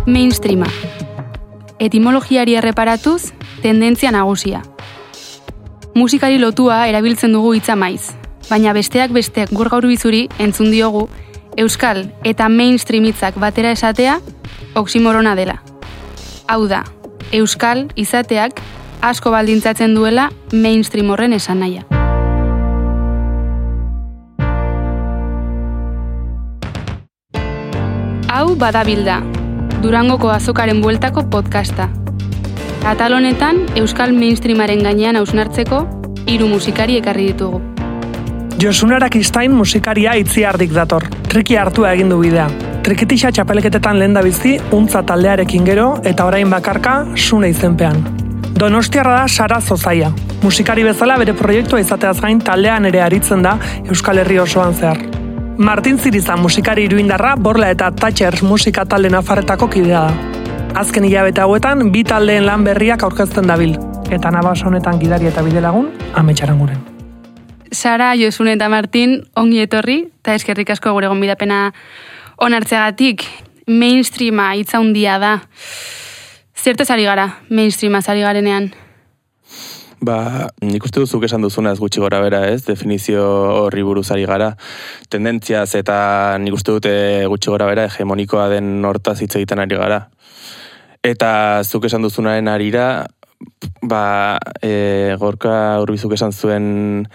Mainstreama. Etimologiari erreparatuz, tendentzia nagusia. Musikari lotua erabiltzen dugu hitza maiz, baina besteak gur gaur bizuri entzun diogu euskal eta mainstream hitzak batera esatea oximorona dela. Hau da, euskal izateak asko baldintzatzen duela mainstream horren esan nahia. Hau badabilda, Durangoko azokaren bueltako podcasta. Atal honetan, euskal mainstreamaren gainean hausnartzeko 3 musikari ekarri ditugu. Josun Arakistain musikaria Itziardik dator. Triki hartua egin du bidea. Trikitixa txapelketetan lehendabizi, untza taldearekin gero eta orain bakarka Sune izenpean. Donostiarra da Sara Zozaia. Musikari bezala bere proiektua izateaz gain taldean ere aritzen da Euskal Herri osoan zehar. Martin Ziriza musikari iruindarra Borla eta Thatchers musika talde nafarretako kidea da. Azken hilabete hauetan 2 taldeen lan berriak aurkezten dabil. Eta nabas honetan gidari eta bidelagun, Amets Aranguren. Sara, Josun eta Martin, ongi etorri, eta eskerrik asko gure gonbidapena onartzeagatik. Mainstreama hitza handia da. Zertaz ari gara, mainstreama ari garenean? Nik uste duzuk esan duzunaz gutxi gora bera, ez? Definizio horri buruz ari gara. Tendentziaz eta nik uste dute gutxi gora bera hegemonikoa den hortaz hitz egiten ari gara. Eta zuk esan duzunaren arira, Gorka Urbizuk esan zuen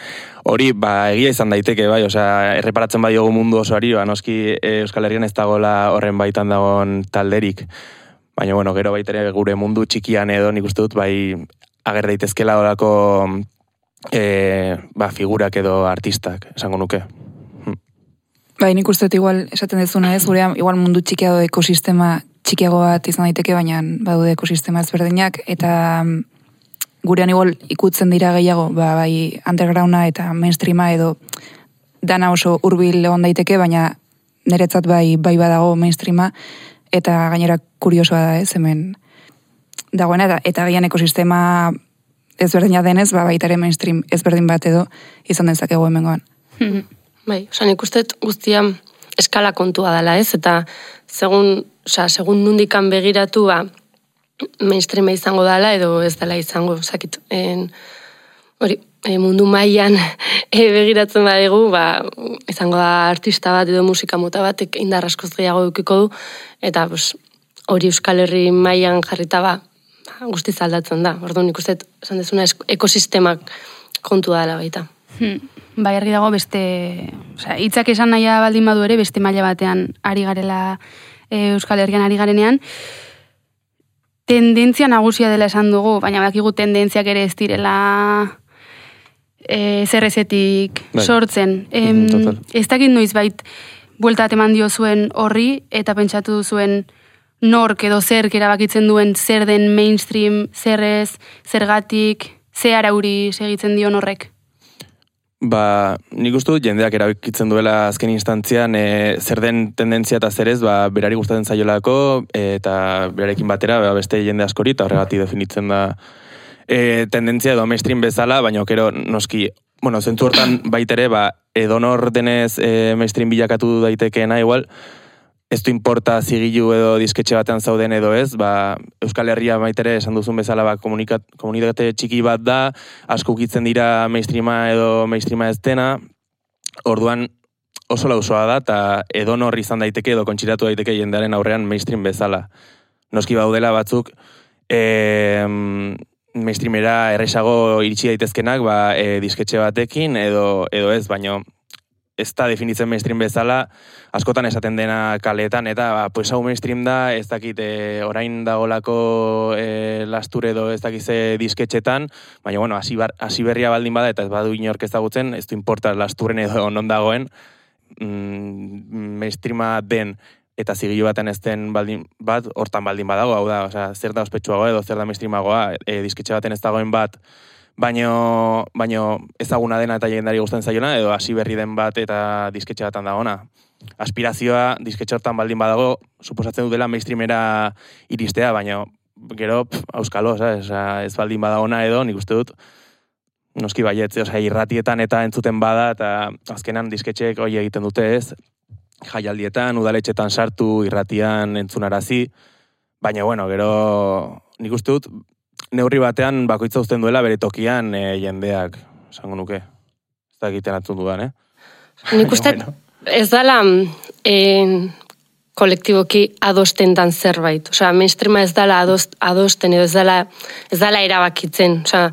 hori, egia izan daiteke, bai, osea, erreparatzen bai dugu mundu osoari, noski Euskal Herrian ez dagoela horren baitan dagoen talderik. Baina, bueno, gero baitere gure mundu txikian edo nik uste dut, bai, ager daitezkela horako figurak edo artistak, esango nuke. Bai, nik uste dut igual esaten dezuna ez, gure igual mundu txikia edo ekosistema txikiago bat izan daiteke, baina badude ekosistema ezberdinak, eta gurean igual ikutzen dira gehiago, bai undergrounda eta mainstreama edo dana oso hurbil egon daiteke, baina niretzat bai badago mainstreama, eta gainera kuriosoa da ez, hemen dagoena, eta gian ekosistema ezberdina denez, baitare mainstream ezberdin bat edo izan dezakegu hemengoan. Bai, nik uste guztia eskala kontua dela ez, eta segun nundikan begiratu, mainstreama izango dela edo ez dela izango, mundu mailan begiratzen badegu, izango da artista bat edo musika mota bat indar askoz gehiago edukiko du, eta hori Euskal Herri mailan jarrita guztiz aldatzen da. Orduan nik uste esan dezuna ekosistemak kontua dela baita. Bai, argi dago beste, hitzak esan nahia baldin badu ere, beste maila batean ari garela Euskal Herrian ari garenean. Tendentzia nagusia dela esan dugu, baina bakigu tendentziak ere ez direla zerrezetik sortzen. Ez dakit noiz bait buelta eman dio zuen horri, eta pentsatu zuen nork edo zerk erabakitzen duen zer den mainstream, zerrez, zergatik, ze arauri segitzen dion horrek? Nik uste dut jendeak erabakitzen duela azken instantzian zer den tendentzia eta zerez, berari gustatzen zaiolako, eta berarekin batera beste jende askori, eta horregatik definitzen da tendentzia edo mainstream bezala, baina gero noski, zentzu hortan baitere, edonor denez mainstream bilakatu daitekeena igual, ez du importa zigilu edo disketxe batean zauden edo ez, Euskal Herria baitere esan duzun bezala komunitate txiki bat da, asko ukitzen dira mainstreama edo mainstreama ez dena, orduan oso lausoa da, eta edonor izan daiteke edo kontxiratu daiteke jendearen aurrean mainstream bezala. Noski baudela batzuk, mainstreamera erresago iritsi daitezkenak disketxe batekin edo ez, baino ez da definitzen mainstream bezala, askotan esaten dena kaleetan, eta hau mainstream da, ez dakit orain dagolako lastur edo ez dakit ze disketxetan, baina hasi berria baldin bada, eta ez badu inork ezagutzen, ez du importa lasturren edo non dagoen, mainstreama den, eta zigilu baten ez den hortan baldin badago, hau da, zer da ospetsuagoa edo zer da mainstreamagoa, disketxe baten ez dagoen bat, baino ezaguna dena eta jendari gustatzen zaiona, edo hasi berri den bat eta disketxe batan dagona. Aspirazioa disketxe hortan baldin badago, suposatzen dut dela mainstreamera iristea, baina gero, auskalo, ez baldin badagona edo, nik uste dut, noski baiet, irratietan eta entzuten bada, eta azkenan disketxeek hori egiten dute ez, jaialdietan, udaletxetan sartu, irratian entzunarazi, Baina, bueno, gero nik uste dut, neurri batean bakoitza uzten duela bere tokian jendeak, esango nuke. Ez da egiten atzun dudan, Nik uste ez dala kolektiboki adosten dan zerbait. Osea, mainstreama ez dala adosten edo ez dala erabakitzen. Osea,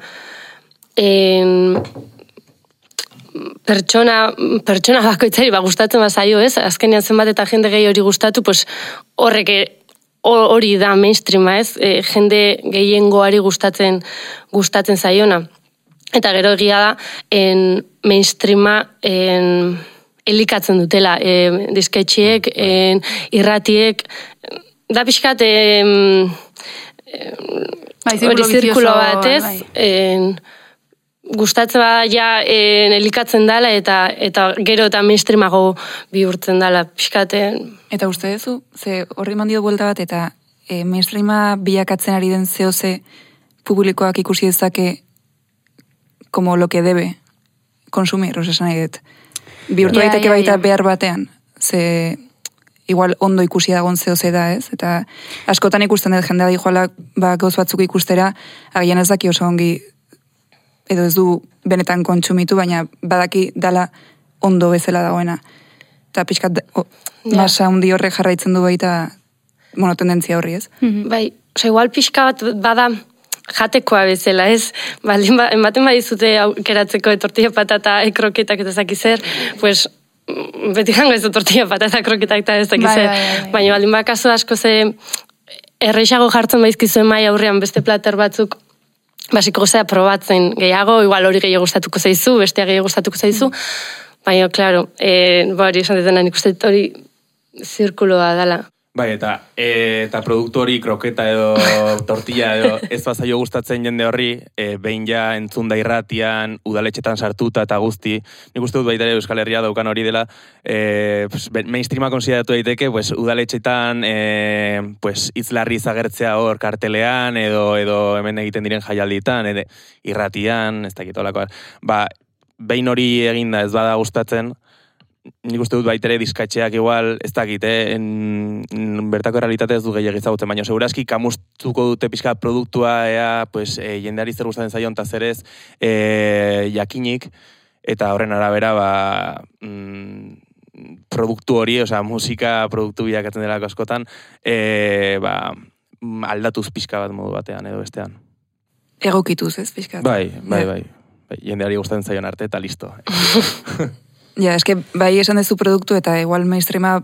pertsona bakoitzari gustatzen bazaio, ez? Azkenean zenbat eta jende gehi hori gustatu, pues horrek hori da mainstreama, ez? Jende gehiengoari gustatzen zaiona. Eta gero egia da, mainstreama elikatzen dutela, disketxiek, irratiek, da pixkat hori zirkulo bat, ez? Gustatzen ja elikatzen dela eta gero eta mainstreamago bihurtzen dela pixkate. Eta uste duzu, ze horri mandio buelta bat eta mainstreama bilakatzen ari den zehoze publikoak ikusi dezake como lo que debe consumir, esan nahi dut. Bihurtu daiteke baita behar batean, ze igual ondo ikusi dagoen zehoze da, ez? Eta askotan ikusten dut jendea dijoala gauz batzuk ikustera, agian ez daki oso ongi edo ez du benetan kontsumitu, baina badaki dala ondo bezala dagoena. Eta pixkat masa hundi horrek jarraitzen du baita tendentzia horri, ez? Bai, igual pixka bat bada jatekoa bezala, ez? Ematen badizute aukeratzeko tortilla patata, kroketak eta zaki zer, pues beti jango ez tortilla patata, kroketak eta ez zaki zer. Baina baldin bakazu asko ze erreixago jartzen baizkizuen mai aurrean beste plater batzuk, basiko gozea probatzen gehiago, igual hori gehiago gustatuko zaizu, bestea gehiago gustatuko zaizu, baina, klaro, hori esan detena nik uste hori zirkuloa dela. Bai, eta produktu hori, kroketa edo tortilla edo ez bazaio gustatzen jende horri, behin ja entzunda irratian, udaletxetan sartuta eta guzti, nik uste dut baita ere Euskal Herria daukan hori dela, mainstreama konsideratu daiteke, udaletxetan itzlarri zagertzea hor kartelean, edo hemen egiten diren jaialditan, irratian, ez dakit olakoa. Behin hori eginda ez bada gustatzen, nik uste dut baitere diskatxeak igual, ez dakit, bertako realitate ez du gehiagiz zagutzen, baina seguraski kamustuko dute pixka produktua, jendeari zer gustatzen zaion eta zer ez jakinik, eta horren arabera produktu hori, musika produktu bilakatzen delako askotan, aldatuz pixka bat modu batean edo bestean. Egokituz, ez, pixka? Bai. Jendeari gustatzen zaion arte eta listo. Ja, eske bai esan dezu produktu eta igual mainstreama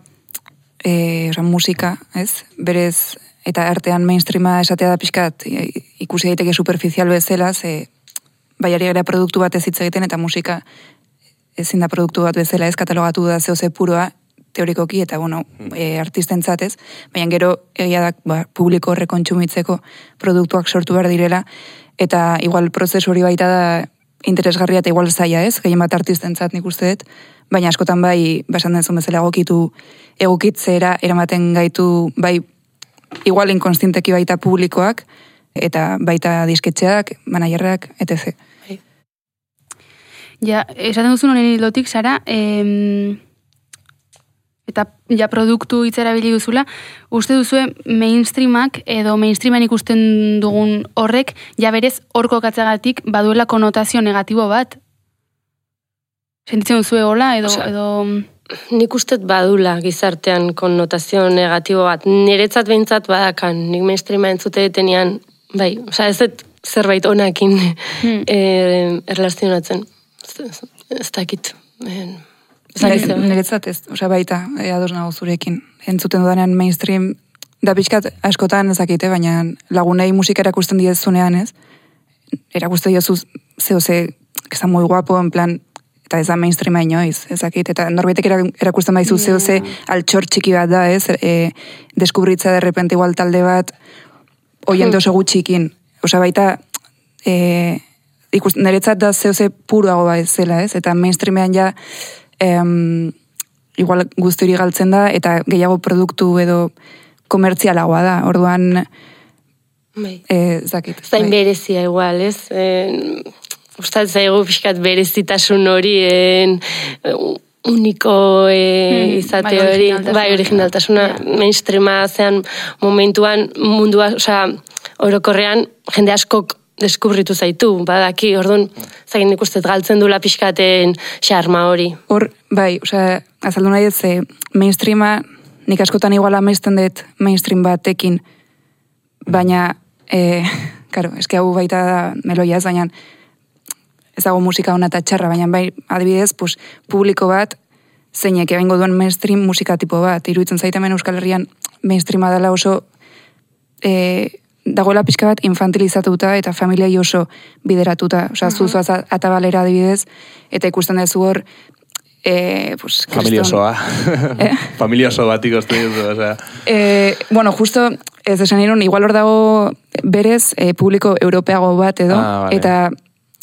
musika, ez? Berez, eta artean mainstreama esatea da pixkat ikusi daiteke superficial bezala, ze baiari gara produktu bat ez hitz egiten eta musika ezin da produktu bat bezala, ez? Katalogatu da zehoze puroa, teorikoki, eta artistentzat, ez? Baina gero egia da publiko horre kontsumitzeko produktuak sortu behar direla, eta igual prozesu hori baita da interesgarria eta igual zaila, ez? Gehien bat artistentzat nik uste dut, baina askotan esan denzun bezala egokitzera eramaten gaitu, igual inkonstienteki baita publikoak, eta baita disketxeak, manajerrak, etc. Ja, esaten duzun honen hildotik, Sara, eta ja produktu hitzerabili duzula, uste duzue mainstreamak edo mainstreaman ikusten dugun horrek, ja berez horko katzagatik baduela konotazio negatibo bat? Sentitzen duzue hola edo... Nik ustet badula gizartean konotazio negatibo bat. Niretzat behintzat badakan, nik mainstreama entzute detenean, ez dut zerbait onakin erlazionatzen. Ez dakit. Niretzat ez, baita, ados nago zurekin. Entzuten dudanean mainstream, da pixkat askotan ezakite, baina lagunei musika erakusten diezunean, ez? Erakusten diozu zehoze, que está muy guapo, en plan, eta ez da mainstreama inoiz, ezakit, eta norbaitek erakusten baizu zehoze altxor txiki bat da, ez? Deskubritza de repente igual talde bat, oiente oso gutxikin. Baita, niretzat da zehoze puruago bat zela, ez? Eta mainstreamean ja, igual guzturi galtzen da, eta gehiago produktu edo komertzialagoa da, orduan zakit. Zain berezia igual, ez? Ustatzen zaigu pixkat berezitasun hori uniko izate hori, bai, originaltasuna, mainstreama zean momentuan mundua, orokorrean jende askok deskubritu zaitu, badaki, orduan, zagin ikustet galtzen dula pixkaten xarma hori. Hor, bai, azaldu nahi ez, mainstreama, nik askotan iguala amesten dut mainstream batekin, baina, karo, eske hau baita da meloia ez, baina ez dago musika hona eta txarra, baina bai, adibidez, publiko bat, zeinek egingo duen mainstream musika tipo bat, iruditzen zaitemen Euskal Herrian mainstreama dela oso dagoela pixka bat infantilizatuta eta familiai oso bideratuta. Zuzoaz atabalera adibidez, eta ikusten dezu hor, familia osoa. Familia oso bat ikusten duzu, bueno, justo, ez esan irun, igual hor dago berez, publiko europeago bat edo, vale.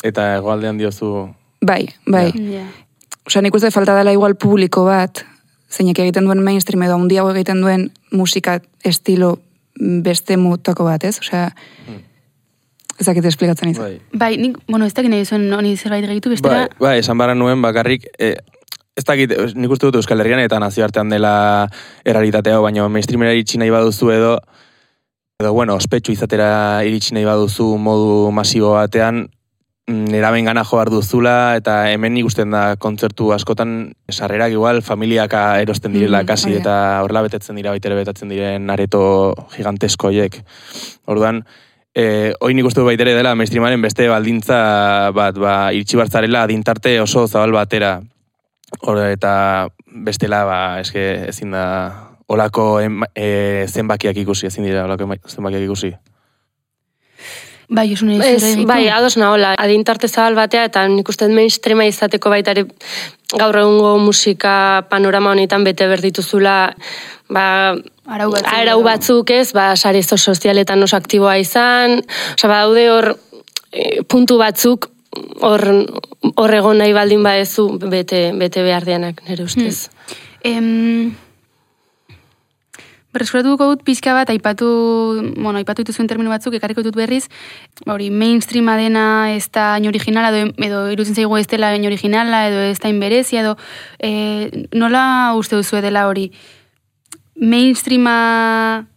Eta egoaldean diozu... Bai. Nik uste falta dela igual publiko bat, zeinek egiten duen mainstream edo handiago egiten duen musika estilo beste mutako bat, ez? Ez dakit esplikatzen izan. Bai, nik, ez dakit nahi zuen honi zerbait gehitu, bestera... Bai, esan barra nuen bakarrik, ez dakit, nik uste dut Euskal Herrian eta nazioartean dela errealitatea, baina mainstreamera iritsi nahi baduzu edo, bueno, ospetsu izatera iritsi nahi baduzu modu masibo batean, neraben gana jo behar duzula, eta hemen ikusten da kontzertu askotan sarrerak igual familiaka erosten direla kasi, eta horrela betetzen dira baitere betatzen diren areto gigantesko horiek. Orduan, hoi nik uste du baitere dela mainstreamaren beste baldintza bat, iritsi bartzarela adintarte oso zabal batera. Eta bestela, eske ezin da olako zenbakiak ikusi, ezin dira olako zenbakiak ikusi. Bai, bai, ados nahola, adintarte zabal batea, eta nik uste mainstreama izateko baitare gaur egungo musika panorama honetan bete berdituzula, arau batzuk ez, sare sozialetan oso aktiboa izan, daude hor puntu batzuk hor egon nahi baldin badezu bete behar dianak, nire ustez. Berreskuratuko dut pixka bat, aipatu dituzuen termino batzuk, ekarriko dut berriz, mainstreama dena ez da hain originala, edo irutzen zaigu ez dela hain originala, edo ez da hain berezia, edo nola uste duzu dela hori? Mainstreama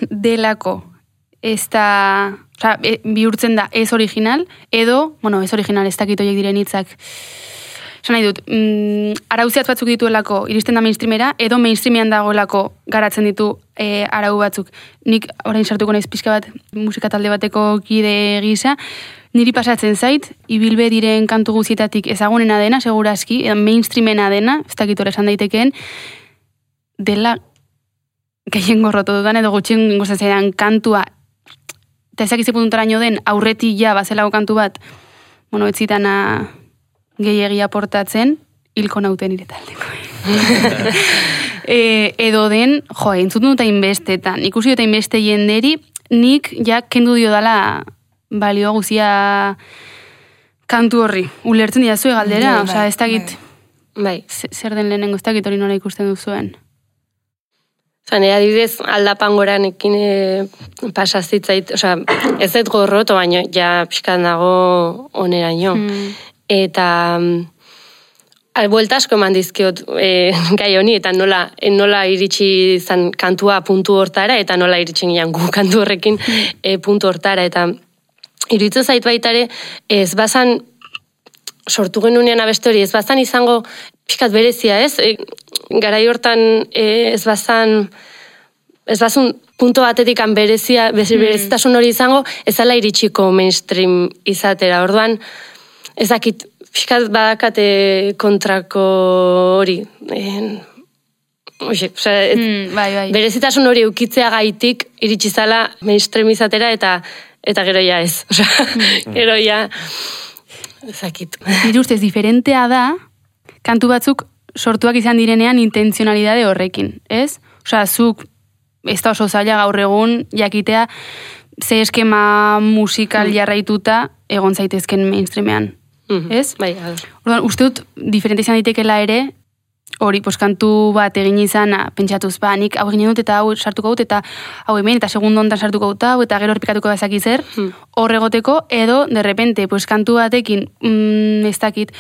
delako ez da, bihurtzen da ez original, edo, ez original, ez dakit horiek diren hitzak. Esan nahi dut, arauziat batzuk dituelako iristen da mainstreamera, edo mainstreamean dagoelako garatzen ditu arau batzuk. Nik orain sartuko naiz pixka bat musika talde bateko kide gisa, niri pasatzen zait, ibilbe diren kantu guzietatik ezagunena dena, segurazki, edo mainstreamena dena, ez dakit hori esan daitekeen, dela gehien gorrotu dudan, edo gutxien gingozen zaidan kantua, eta ezak izipuntaraino den aurretik ja bazelago kantu bat, ez zitana gehiagia portatzen, hilko nauten ire taldeko. Edo den, entzuten dut inbestetan, ikusi dut inbeste jenderi, nik ja kendu dio dala balio guzia kantu horri. Ulertzen dira zue galdera, ez dakit, zer den lehenengo, ez dakit hori nola ikusten duzuen. Nire adibidez, aldapangoranekin pasazitzait, ez dut gorroto, baina ja pixkan dago oneraino. Eta buelta asko eman dizkiot gai honi, eta nola iritsi zan kantua puntu hortara, eta nola iritsi gian gu kantu horrekin puntu hortara, eta iruditzen zait baitare, ez bazan, sortu genunean abestu hori, ez bazan izango pixkat berezia, ez? Garai hortan ez bazan punto batetik berezitasun hori izango, ez ala iritsiko mainstream izatera, orduan, ezakit, pixkat badakate kontrako hori. Berezitasun hori eukitzea gaitik iritsi zala mainstream izatera eta gero ja ez. Gero ja, ezakit. Nire ustez, diferentea da, kantu batzuk sortuak izan direnean intentzionalidade horrekin, ez? Zuk, ez da oso zaila gaur egun, jakitea, ze eskema musikal jarraituta egon zaitezken mainstreamean. Ez? Bai, orduan, uste dut, diferente izan ditekela ere, hori, kantu bat egin izan, pentsatuz, nik hau egin dut, eta hau sartuko dut, eta hau hemen, eta segundo hontan sartuko dut, eta gero horpikatuko bazaki zer, hor egoteko, edo, de repente, kantu batekin, ez dakit,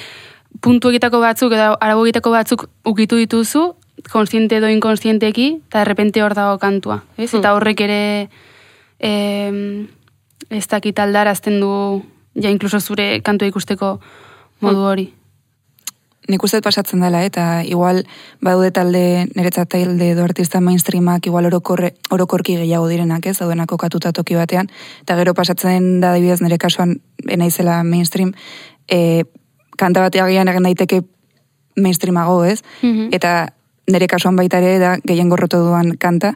puntuekitako batzuk edo aragoetako batzuk ukitu dituzu, konstiente edo inkonstienteki, eta errepente hor dago kantua. Ez? Eta horrek ere ez dakit aldarazten du, ja inkluso zure kantua ikusteko modu hori. Nik uste pasatzen dela, eta igual badude talde, niretzat talde edo artista mainstreamak igual orokorki gehiago direnak, ez, daudenak kokatuta toki batean, eta gero pasatzen da adibidez nire kasuan naizela mainstream, kanta bateagian egin daiteke mainstreamago, ez, eta nire kasuan baita ere da gehien gorrotu duan kanta,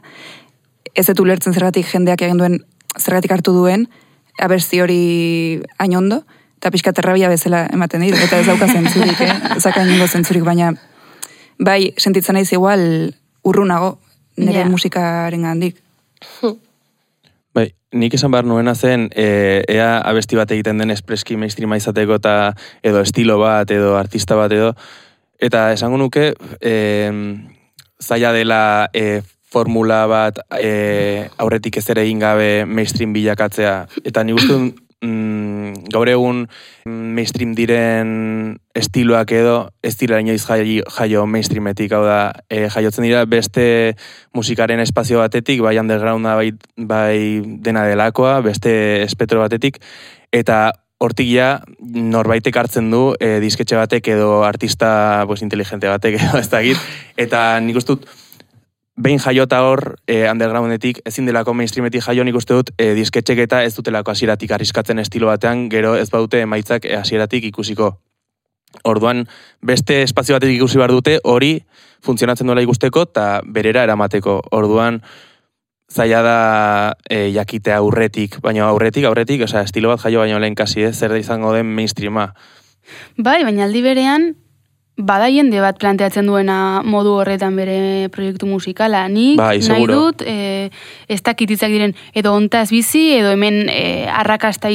ez dut ulertzen zergatik jendeak egin duen, zergatik hartu duen, abertzi hori hain ondo, eta pixka terrabia bezala ematen dit, eta ez dauka zentzurik, ezaka ingo zentzurik, baina bai, sentitzen naiz igual urrunago nire musikaren gandik. Bai, nik esan behar nuena zen, ea abesti bat egiten den espreski mainstreama izateko eta edo estilo bat, edo artista bat edo, eta esango nuke, zaila dela formula bat aurretik ez ere egin gabe mainstream bilakatzea, eta nik uste gaur egun mainstream diren estiloak edo ez dira inoiz jaio mainstreametik, hau da, jaiotzen dira beste musikaren espazio batetik, bai undergrounda, bai dena delakoa, beste espetro batetik, eta hortik ja norbaitek hartzen du disketxe batek edo artista inteligente batek edo ez dakit, eta nik uste dut behin jaiota hor, undergroundetik, ezin delako mainstreametik jaio, nik uste dut, disketxek eta ez dutelako hasieratik arriskatzen estilo batean, gero ez baute emaitzak hasieratik ikusiko. Orduan, beste espazio batetik ikusi behar dute, hori funtzionatzen duela ikusteko, eta berera eramateko. Orduan, zaila da jakitea aurretik, baina aurretik, osea, estilo bat jaio baino lehen kasi, zer da izango den mainstreama. Bai, baina aldi berean, bada jende bat planteatzen duena modu horretan bere proiektu musikala. Nik nahi dut, ez dakititzak diren, edo ontaz bizi, edo hemen arrakasta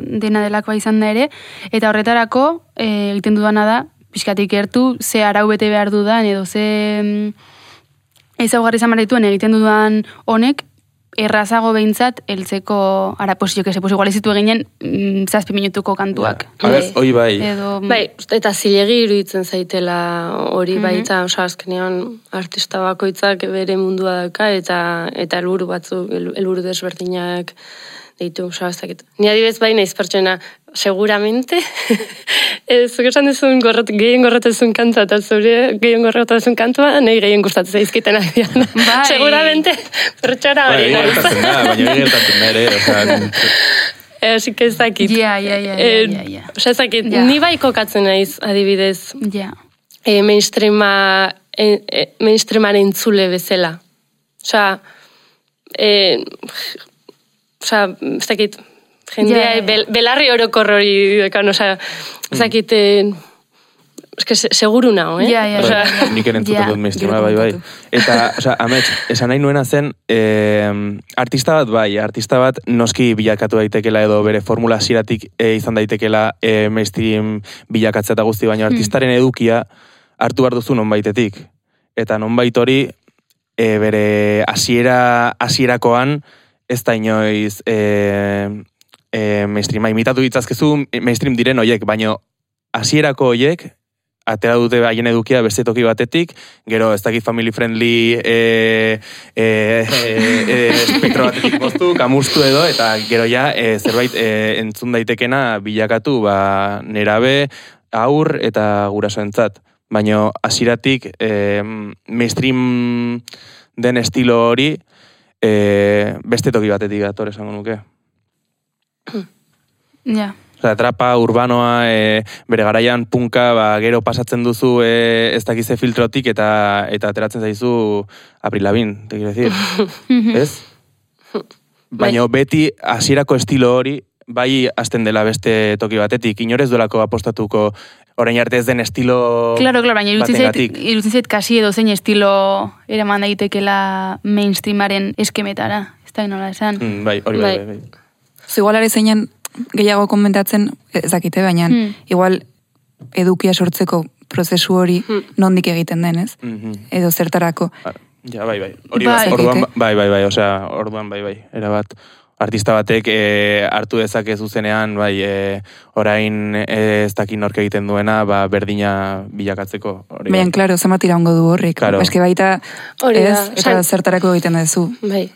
dena delakoa izan da ere, eta horretarako egiten dudana da, pixkatik gertu, ze arau bete behar dudan, edo ze ezaugarri izan behar dituen egiten dudan honek, errazago behintzat, eltzeko, igual ezitu eginen 7 minutuko kantuak. Hoi bai. Bai, eta zilegi iruditzen zaitela hori baita, azkenean artista bakoitzak bere mundua dauka, eta helburu batzuk, helburu desberdinak ditu, ni adibez bai naiz pertsona, seguramente, zuk esan duzun gehien gorrotezun kantua, eta zure gehien gorrotezun kantua, nahi gehien gustatzen zaizkitenak dian. Seguramente, pertsona hori naiz. Baina gertatzen da ere, Así que ez dakit. Ez dakit, ni bai kokatzen naiz, adibidez, mainstreamaren entzule bezala. Ez dakit, jendea, belarri orokor hori dekan, ez dakit, seguru nago, Nik entzuten dut mainstreama, bai. Eta, amets, esan nahi nuena zen, artista bat noski bilakatu daitekela edo bere formula hasieratik izan daitekela mainstream bilakatzea eta guzti, baina artistaren edukia hartu behar duzu nonbaitetik. Eta nonbait hori bere hasierakoan ez da inoiz mainstreama imitatu ditzazkezu mainstream diren hoiek, baina hasierako hoiek atera dute haien edukia beste toki batetik, gero ez dakit family friendly espektro batetik moztu, kamustu edo, eta gero ja zerbait entzun daitekena bilakatu nerabe, aur eta gurasoentzat. Baina hasieratik mainstream den estilo hori beste toki batetik dator esango nuke. Ja. Trapa, urbanoa, bere garaian punka, gero pasatzen duzu ez dakize filtrotik eta ateratzen zaizu Avril Lavigne, te quiero decir. Ez? Baina beti hasierako estilo hori bai hasten dela beste toki batetik, inorez duelako apostatuko orain arte ez den estilo baina irutzen zait kasi edo zein estilo eraman daitekela mainstreamaren eskemetara, ez da nola esan. Bai, hori bai. Igualare zeinen gehiago komentatzen, ez dakite, baina igual edukia sortzeko prozesu hori nondik egiten den, ez? Edo zertarako. Ja, bai. Orduan, bai, osea, orduan, bai, erabat. artista batek hartu dezake zuzenean, bai, orain ez dakin nork egiten duena, berdina bilakatzeko. Baina, klaro, zemat iraungo du horrik. Claro. Eske baita, eta zertarako egiten duzu. Bai,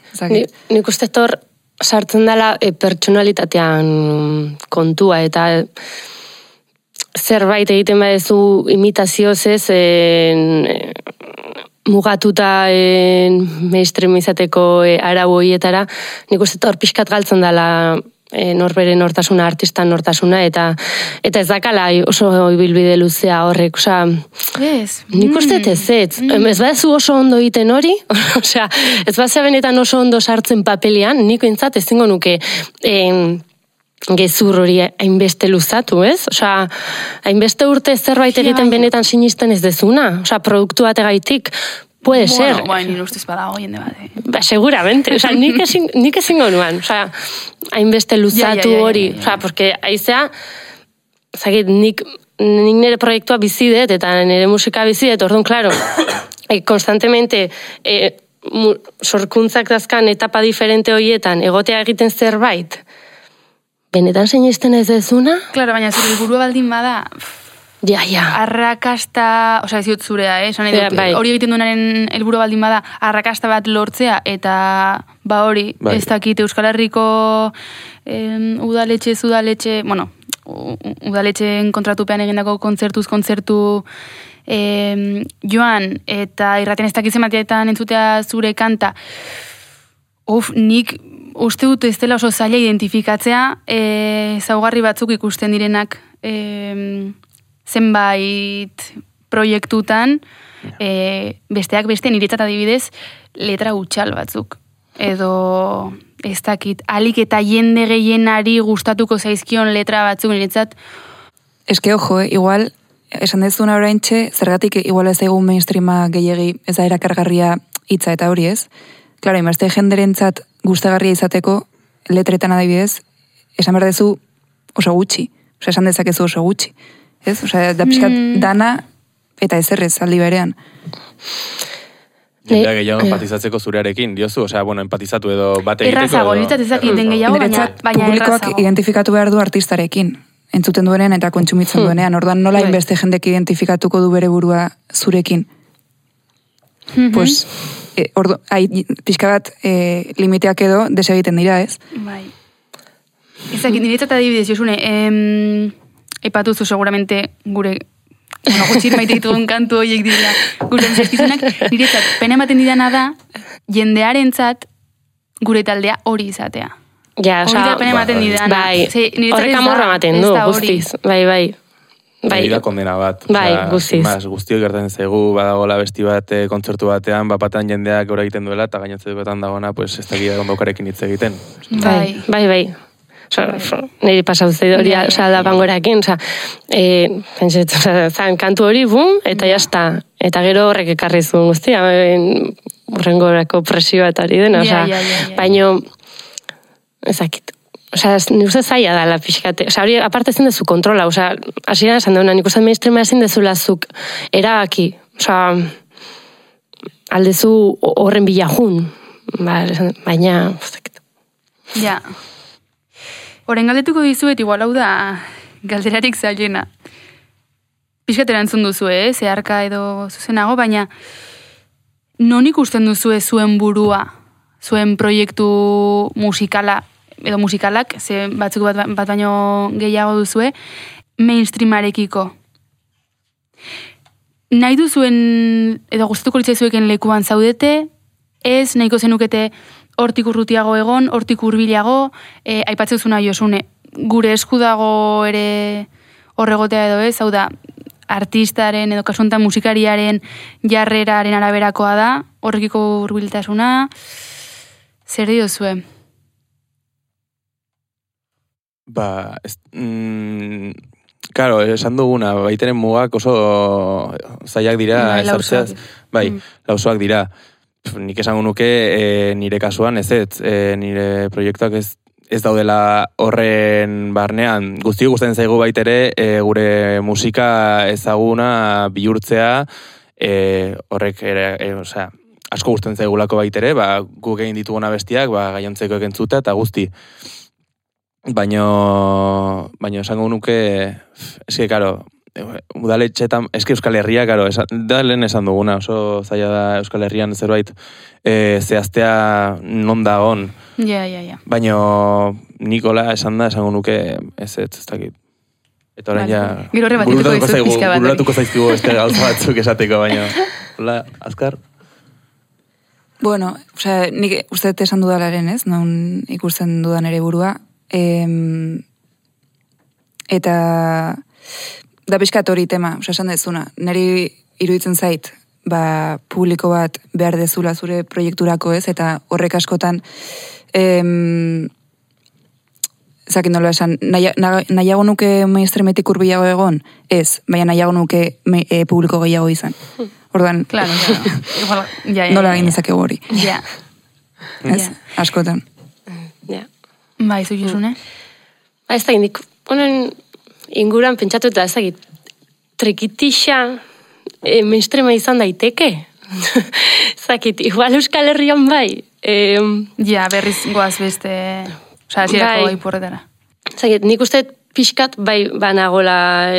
nik uste tor sartzen dela pertsonalitatean kontua, eta zerbait egiten badezu imitazioz ez, mugatuta mainstream izateko arau horietara, nik uste hor pixkat galtzen dela norbere nortasuna, artista nortasuna, eta ez dakala oso ibilbide luzea horrek, osea, nik uste ez badezu oso ondo egiten hori, osea, ez bazea benetan oso ondo sartzen papelian, niko entzat ezingo nuke gezur hori hainbeste luzatu, ez? Osea, hainbeste urte zerbait egiten benetan sinisten ez dezuna, osea, produktu bategaitik, puede ser. Bueno, nire ustez badago jende bat. Ba, seguramente, osea, nik ezingo nuan, osea, hainbeste luzatu hori, osea, porque aizea, zagit, nik nire proiektua bizidet, eta nire musika bizidet, orduan, klaro, konstantemente, sorkuntzak dazkan etapa diferente horietan, egotea egiten zerbait, benetan sinisten ez dezuna? Claro, baina zure helburua baldin bada, ja. Arrakasta, osea, ez dut zurea, hori egiten duenaren helburua baldin bada, arrakasta bat lortzea, eta hori, ez dakit Euskal Herriko udaletxe, bueno, udaletxeen kontratupean egindako kontzertu joan, eta irraten ez dakitzen bateetan entzutea zure kanta, nik uste dut ez dela oso zaila identifikatzea zaugarri batzuk ikusten direnak zenbait proiektutan besteak beste niretzat adibidez letra gutxal batzuk. Edo ez dakit, alik eta jende gehienari gustatuko zaizkion letra batzuk niretzat. Eske ojo, igual, esan dezuna oraintxe, zergatik igual ez egun mainstreama gehiegi ez da erakargarria hitza eta hori ez. Claro, inbazte jenderentzat gustagarria izateko, letretan adibidez, esan behar dezu oso gutxi. Osa, esan dezakezu oso gutxi. Ez? Osa, da pixkat dana eta ezerrez aldi berean. Jendea gehiago empatizatzeko zurearekin, diozu? Osea, bueno, empatizatu edo bat egiteko. Errazago, niretzat ezakiten gehiago, baina publikoak errazago. identifikatu behar du artistarekin. Entzuten duenean eta kontsumitzen duenean. Orduan nola inbeste jendek identifikatuko du bere burua zurekin. Pues, pixka bat limiteak edo desegiten dira, ez? Bai. Ezakit, niretzat adibidez, Josune, epatuzu seguramente gure gutxit maite ditugun kantu horiek dira gure zerkizunak, niretzat, pena ematen didana da, jendearentzat gure taldea hori izatea. Ja, hori da pena ematen didana. Bai, horrek amorra ematen du, guztiz. Bai. Hori da kondena bat. Bai, guztiz. Guztiok gertatzen zaigu, badagoela besti bat kontzertu batean, bapatan jendeak gora egiten duela, eta gainotze duetan dagoena, pues ez dakit ondokarekin hitz egiten. Bai. Niri pasau zei hori, da pangorakin, zan kantu hori, bum, eta jazta. Eta gero horrek ekarri zuen guztia, horrengorako presioa eta hori dena, baino, ezakit. Osa, nik uste zaila da la pixkate. Osa, hori aparte ezin dezu kontrola. Osa, hasieran esan deuna, nik uste mainstreama ezin dezula zuk erabaki. Osa, aldezu horren bilajun. Baina, ja. Horren galdetuko dizuet, igual hau da galderarik zailena. Pixkatera entzun duzu, zeharka edo zuzenago, baina non ikusten duzu zuen burua, zuen proiektu musikala, edo musikalak, ze batzuk bat baino gehiago duzue, mainstreamarekiko. Nahi duzuen, edo gustatuko litzaizueken lekuan zaudete, ez nahiko zenukete hortik urrutiago egon, hortik hurbilago, aipatzezuna Josune, gure esku dago ere horregotea edo ez, hau da, artistaren edo kasuntan musikariaren jarreraren araberakoa da, horrekiko hurbiltasuna, zer diozue? Claro, esan duguna, baitenen mugak oso zailak dira, esartzeaz, lausoak dira. Nik esango nuke nire kasuan ez, nire proiektuak ez daudela horren barnean. Guztiok gustatzen zaigu baitere gure musika ezaguna bihurtzea, horrek asko gusten zaigulako baitere, guk egin dituguna bestiak, gainontzeko ekentzuta eta guzti. Baina esango nuke, eske, karo, udaletxetan, eske Euskal Herria, karo, da lehen esan duguna, oso zaila da Euskal Herrian zerbait zehaztea non dagon. Ja. Baina Nikola esango nuke ez dakit. Eta orain ja... Gero horre bururatuko zaizkigu este gauza batzuk esateko, baina... Hola, azkar? Bueno, nik uste esan dudalaren, ez? Non ikusten dudan ere burua. Eta... Da pixkat hori tema, esan dezuna. Neri iruditzen zait, publiko bat behar dezula zure proiekturako, ez? Eta horrek askotan... Zakin nola esan, nahiago nuke mainstreametik hurbilago egon? Ez, baina nahiago nuke publiko gehiago izan. Orduan, claro. Nola egin dezakegu hori. Ja. Ez, askotan. Ja. Bai, zu Josune? Ez da indik, honen inguran pentsatu eta ezagit, trikitixa mainstreama izan daiteke? Zakit, igual Euskal Herrian bai. Ja, berriz goaz beste... Osa, zirako bai porretara. Zagit, nik uste pixkat bai banagola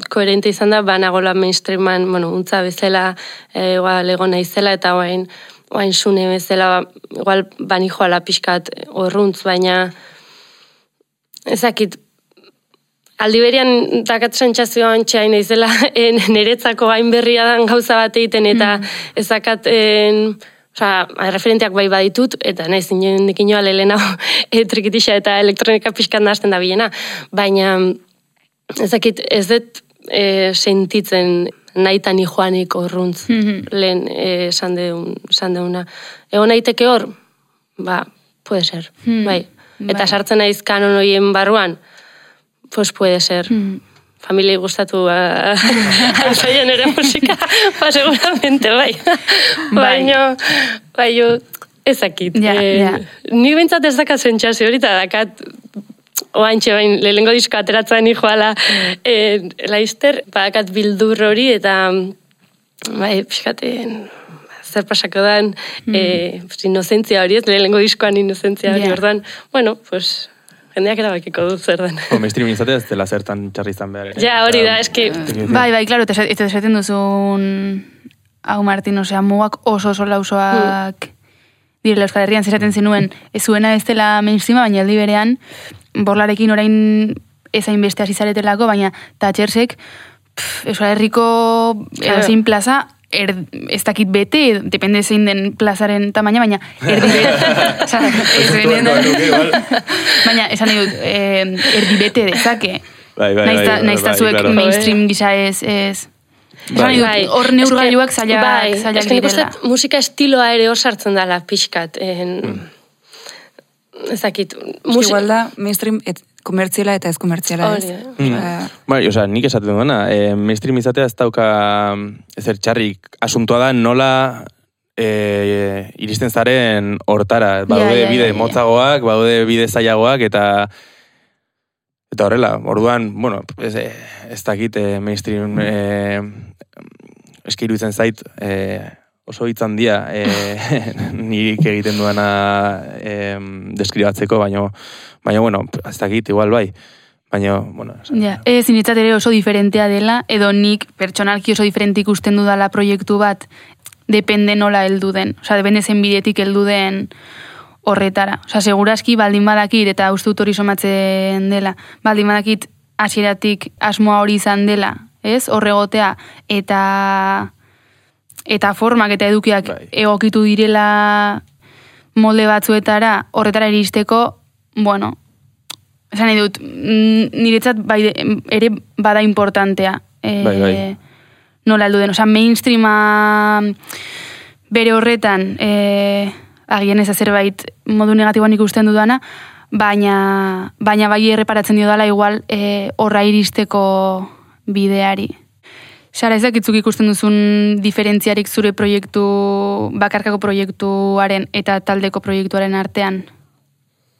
koherente izan da, banagola mainstreaman, untza bezala, igual egona izela, eta oain sune bezala, igual bani joala pixkat horruntz, baina ezakit, aldiberian dakat sentsazioan txain izela, niretzako hain berria dan gauza bat egiten, eta ezakat... referenteak bai baditut, eta nahiz inendik inoa lehena trikitixa eta elektronika pixkat nahazten da bilena. Baina ezakit ez dut sentitzen nahitan joanik horruntz lehen esan deuna. Egon naiteke hor? Puede ser. Bai. Eta sartzen naiz kanon horien barruan? Pues puede ser. Familiei gustatu alzaien ere musika, seguramente, bai. Baina, ezakit. Ni bintzat ez dakat sentsazio hori, eta dakat, oantxe bain, lehengo disko ateratzen joala laizter, dakat bildur hori, eta, bai, pixkaten, zer pasako dan, inozentzia hori ez, lehengo diskoan inozentzia hori, orduan, bueno, pues... Jendeak erabakiko du zer den. Mainstream izatea ez dela zertan txarri izan behar. Ja, hori da, eski... Bai, klaro, eta esaten duzun... Hau, Martin, osea, mugak oso lausoak direla Euskal Herrian, zesaten zenuen, ez zuena ez dela mainstreama, baina aldi berean, borlarekin orain ezain beste hasi zaretelako, baina Thatchersek Euskal Herriko zein plaza, ez dakit bete, depende zein den plazaren tamaina, baina erdi bete. Baina, esan nahi dut, erdi bete dezake. Naizta zuek mainstream gisa ez... Esan nahi dut, hor neurgailuak zailak direla. Musika estiloa ere hor sartzen dela pixkat. Ez dakit. Igual da, mainstream komertziala eta ez komertziala ez. Bai, oza, nik esaten duena, mainstream izatea ez dauka ezer txarrik. Asuntua da nola iristen zaren hortara. Baude bide motzagoak, baude bide zailagoak, eta horrela, orduan, bueno, ez dakit mainstream eskiru itzen zait, oso hitzan dia nik egiten duena deskribatzeko, baina, bueno, ez dakit, igual bai. Baina, bueno... Ez initzat ere oso diferentea dela, edo nik pertsonalki oso diferente ikusten dudala proiektu bat, depende nola heldu den. Osa, depende zen bidetik heldu den horretara. Osa, seguraski baldin badakit, eta uste dut hori somatzen dela, baldin badakit hasieratik asmoa hori izan dela, ez? Horregotea, eta formak eta edukiak egokitu direla molde batzuetara, horretara iristeko, bueno, esan nahi dut, niretzat ere bada importantea. Nola heldu den, oza, mainstreama bere horretan, agian ez zerbait modu negatiboan ikusten dudana, baina bai erreparatzen dio dela igual horra iristeko bideari. Sara, ezakitzuk ikusten duzun diferentziarik zure proiektu, bakarkako proiektuaren eta taldeko proiektuaren artean?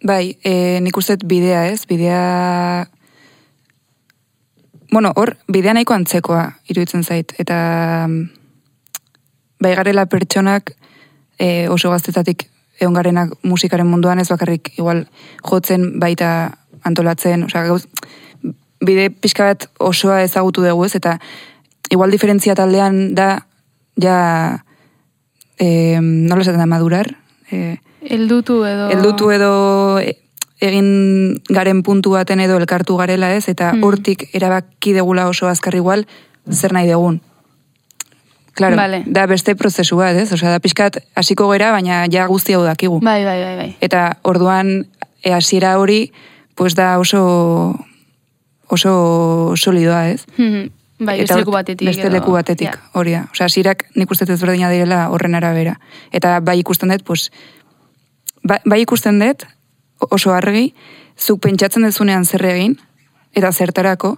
Bai, nik uste bidea ez, bueno, hor, bidea nahiko antzekoa iruditzen zait, eta bai garela pertsonak oso gaztetatik egon garenak musikaren munduan, ez bakarrik igual jotzen baita antolatzen, osea, bide pixka bat osoa ezagutu dugu, ez, eta igual diferentzia taldean da, ja, nola esaten da, madurar? Eldutu edo egin garen puntu baten edo elkartu garela, ez, eta hortik erabaki degula oso azkar igual, zer nahi dugun. Claro, vale. Da beste prozesu bat, ez? Osea, da pixkat hasiko gera, baina ja guzti hau dakigu. Bai. Eta orduan, hasiera hori, pues da oso solidoa, ez? Bai, beste leku batetik. Beste leku batetik, hori da. Osea, hasierak nik uste ezberdina direla horren arabera. Eta bai ikusten dut, pues, bai ikusten dut, oso argi, zuk pentsatzen dezunean zer egin, eta zertarako,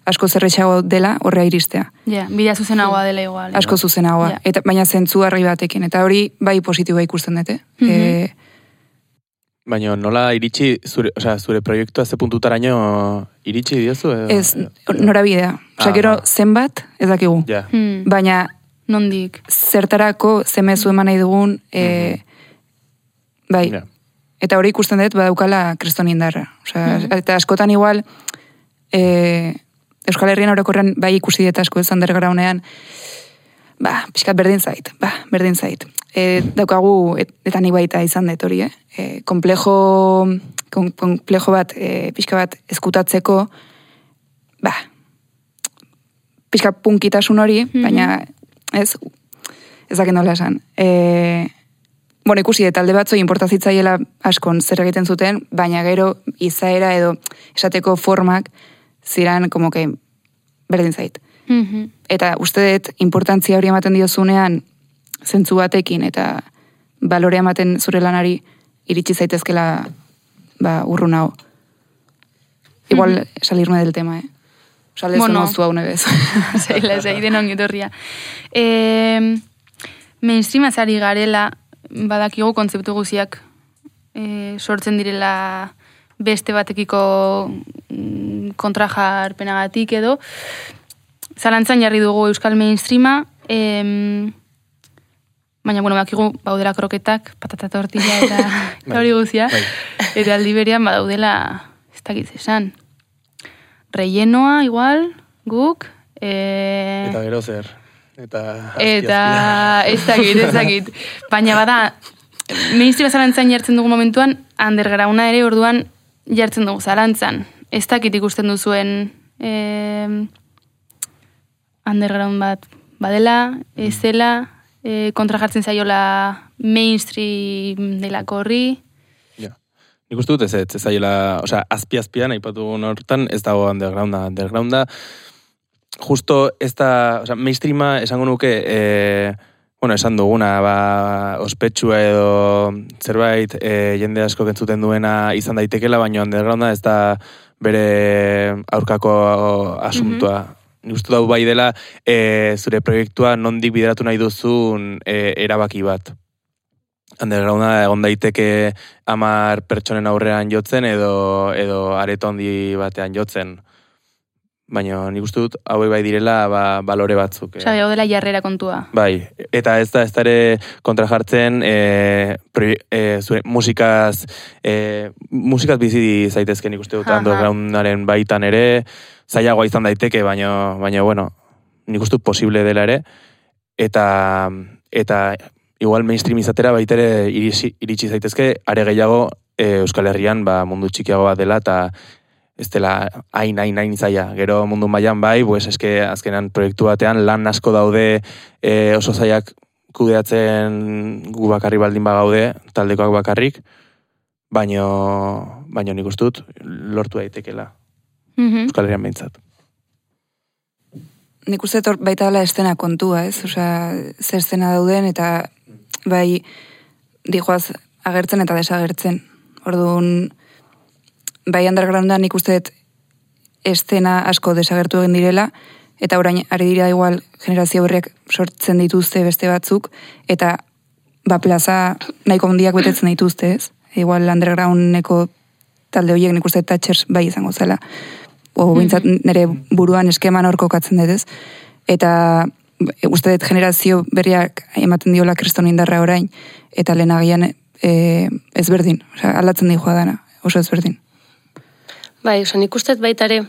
asko zerretxago dela horrea iristea. Ja, bidea zuzenagoa dela igual. Asko zuzenagoa, eta baina zentzu argi batekin, eta hori bai positiboa ikusten dute. Baina nola iritsi, zure proiektua ze puntutaraino iritsi diozu? Ez, norabidea. Gero zenbat, ez dakigu. Ja. Baina nondik? Zertarako zemezu eman nahi dugun, bai. Ja. Eta hori ikusten dut, badaukala kriston indarra. Eta askotan igual, Euskal Herrian orokorren bai ikusi dut asko ez undergroundean, pixkat berdin zait. Daukagu, eta ni baita izan dut hori, komplejo bat, pixka bat eskutatzeko, pixka punkitasun hori, baina ez dakit nola esan. Ikusi, talde batzoi importazitzaiela askon zer egiten zuten, baina gero izaera edo esateko formak ziran, como que, berdin zait. Eta uste dut, importantzia hori ematen diozunean, zentzu batekin, eta balorea ematen zure lanari, iritsi zaitezkela, urrun hau. Igual, salirme del tema, Sale zu hau nebez. Zeiden ongi torria. Mainstream azari garela, badakigu kontzeptu guziak sortzen direla beste batekiko kontrajarpenagatik edo. Zalantzan jarri dugu euskal mainstreama, baina, bakigu baudela kroketak, patata tortilla eta hori guzia. Eta aldi berean badaudela, ez dakit esan, rellenoa igual, guk. Eta gero zer. Eta ez dakit. Baina bada, mainstreama zalantzan jartzen dugu momentuan, undergrounda ere orduan jartzen dugu zalantzan. Ez dakit ikusten duzuen underground bat badela, ez dela, kontra jartzen zaiola mainstream delako horri. Ja. Nik uste dut ez zaiola, azpi-azpian, aipatugun hortan, ez dago undergrounda. Justo ez da, mainstreama esango nuke, esan duguna, ospetsua edo zerbait jende asko kentzuten duena izan daitekela, baina undergrounda ez da bere aurkako asuntua. Nik uste dut bai dela zure proiektua nondik bideratu nahi duzun erabaki bat. Undergrounda egon daiteke 10 pertsonen aurrean jotzen edo areto handi batean jotzen. Baina nik uste dut hauek bai direla balore batzuk. Hau dela jarrera kontua. Bai, eta ez da ere kontra jartzen zure musikaz bizi zaitezken nik uste dut undergroundaren baitan ere, zailagoa izan daiteke, baina nik uste dut posible dela ere, eta igual mainstream izatera baitere iritsi zaitezke, are gehiago Euskal Herrian mundu txikiago bat dela, eta ez dela hain zaila. Gero mundu mailan bai, azkenan proiektu batean lan asko daude oso zailak kudeatzen gu bakarri baldin bagaude, taldekoak bakarrik, baina nik uste dut lortu daitekela. Euskal Herrian behintzat. Nik uste dut baita dela estena kontua, ez? Ze estena dauden eta bai dijoaz agertzen eta desagertzen. Orduan, bai undergroundan nik uste dut estena asko desagertu egin direla, eta orain ari dira igual generazio berriak sortzen dituzte beste batzuk, eta plaza nahiko handiak betetzen dituzte, ez? Igual undergroundeko talde horiek nik uste Thatchers bai izango zela. Bintzat nire buruan eskeman hor kokatzen dut, ez? Eta uste dut generazio berriak ematen diola kriston indarra orain, eta lehenagian ezberdin, aldatzen di joa dana, oso ezberdin. Bai, nik uste baitare,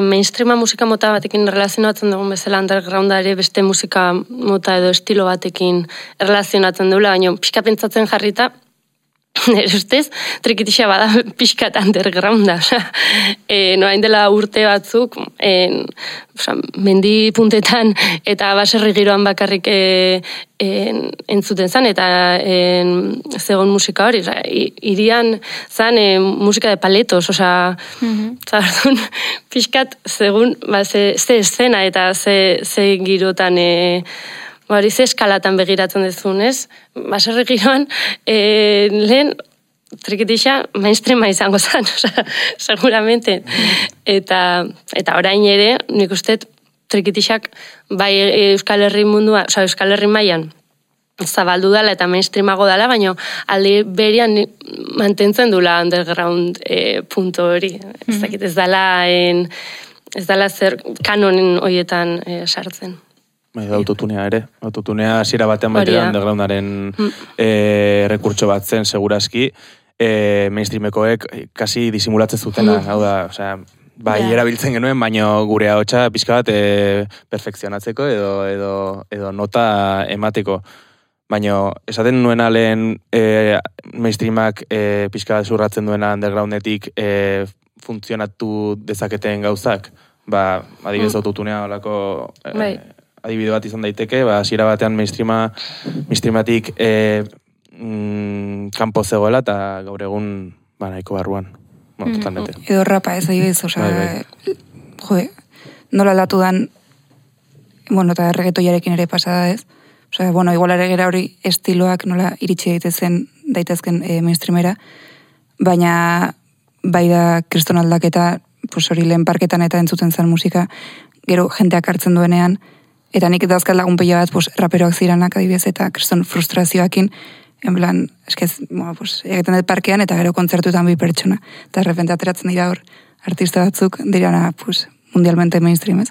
mainstreama musika mota batekin relazionatzen dugun bezala undergrounda ere beste musika mota edo estilo batekin relazionatzen dugula, baina pixka pentsatzen jarrita, nire ustez, trikitixa bada pixkat undergrounda. Noain dela urte batzuk, mendi puntetan eta baserri giroan bakarrik entzuten zen, eta zegoen musika hori. Irian zen musika de paletos, zardun pixkat zegoen ze eszena eta ze girotan hori ze eskalatan begiratzen dezun, ez? Baserri giroan, lehen, trikitixa, mainstreama izango zen, seguramente. Eta orain ere, nik uste, trikitixak, bai Euskal Herri mundua, Euskal Herri mailan zabaldu dala eta mainstreamago dala, baina alde berian mantentzen dula underground punto hori. Ez dakit, ez dala zer kanonen horietan sartzen. Bai, autotunea ere. Autotunea hasiera batean batean undergroundaren rekurtso bat zen, segurazki, mainstreamekoek kasi disimulatzen zutena. Hau da, bai, erabiltzen genuen, baina gure ahotsa pixka bat perfekzionatzeko edo nota emateko. Baina, esaten nuena lehen mainstreamak pixka bat zurratzen duena undergroundetik funtzionatu dezaketen gauzak. Adibidez autotunea olako adibide bat izan daiteke, hasiera batean mainstreamatik kanpo zegoela eta gaur egun nahiko barruan. Totalmente. Edo rapa ez adibidez, nola aldatu dan, eta reggaetoiarekin ere pasada ez. Igual ere gera hori estiloak nola iritsi daitezken mainstreamera, baina bai da kriston aldaketa, hori lehen parketan eta entzuten zen musika, gero jenteak hartzen duenean, eta nik eta azkal lagun pila bat raperoak ziranak adibidez eta kriston frustrazioakin, en plan, egiten dut parkean eta gero kontzertuetan bi pertsona. Eta errepente ateratzen dira hor artista batzuk dirana mundialmente mainstream ez.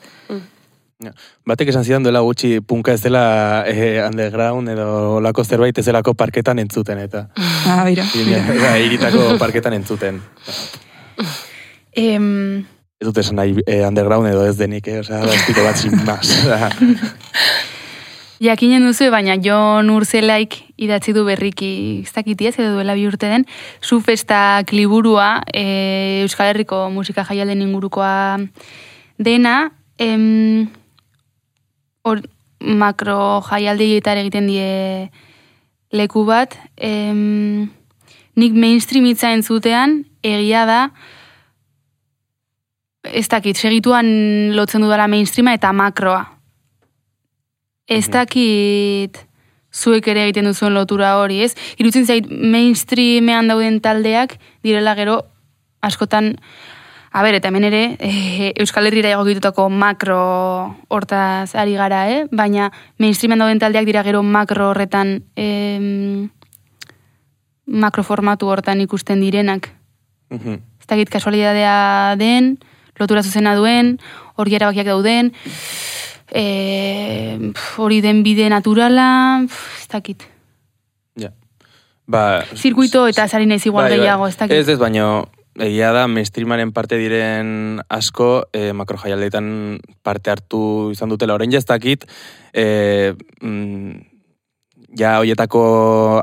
Batek esan zidan duela gutxi punka ez dela underground edo lako zerbait ez delako parketan entzuten eta. Bira. Iritako parketan entzuten. Ez dut esan nahi underground edo ez denik, da estilo bat sin más. Jakinen duzu, baina Jon Urzelaik idatzi du berriki, ez dakitiez, edo duela 2 urte den, Zufestak liburua, Euskal Herriko musika jaialden ingurukoa dena, makro jaialdietar egiten die leku bat, nik mainstream hitza entzutean, egia da, ez dakit, segituan lotzen dudala mainstreama eta makroa. Ez dakit zuek ere egiten duzuen lotura hori, ez? Irutzen zait mainstreamean dauden taldeak direla gero askotan, eta hemen ere Euskal Herrira egokitutako makro hortaz ari gara, baina mainstreamean dauden taldeak dira gero makro horretan makro formatu hortan ikusten direnak. Ez dakit kasualidadea den, lotura zuzena duen, hori erabakiak dauden, hori den bide naturala, ez dakit. Zirkuito eta zari naiz igual gehiago, ez dakit. Ez, baina egia da, mainstreamaren parte diren asko, makro jaialdeetan parte hartu izan dutela. Orain ez dakit, hoietako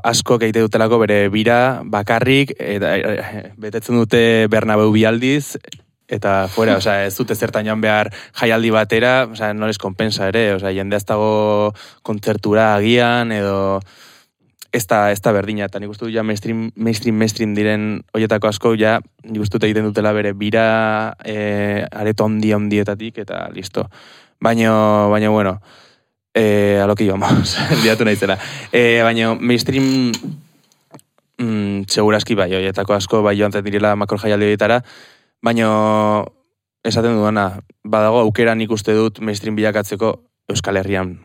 asko egite dutelako bere bira bakarrik, betetzen dute Bernabeu bi aldiz, eta fuera, ez dute zertan joan behar jaialdi batera, no les kompensa ere, jende ez dago kontzertura agian, edo ez da berdina, eta nik uste du mainstream diren hoietako asko, nik uste dut egiten dutela bere bira areto ondietatik, eta listo. Baina, bueno, a lo que íbamos, liatu naizela. Baina mainstream segurazki bai, hoietako asko, bai joan direla makro jaialdi horietara, baina esaten duena, badago aukera nik uste dut mainstream bilakatzeko Euskal Herrian.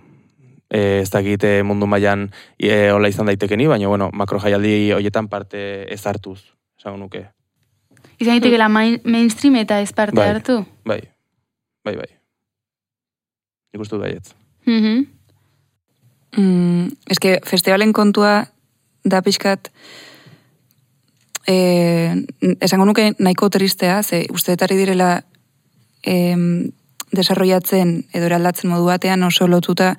Ez dakit mundu mailan hola izan daitekeni, baina bueno, makro jaialdi horietan parte ez hartuz, esango nuke. Izan daitekela mainstream eta ez parte hartu? Bai. Nik uste dut baietz. Eske festivalen kontua da pixkat esango nuke nahiko tristea, ze usteetari direla desarrollatzen edo eraldatzen modu batean oso lotuta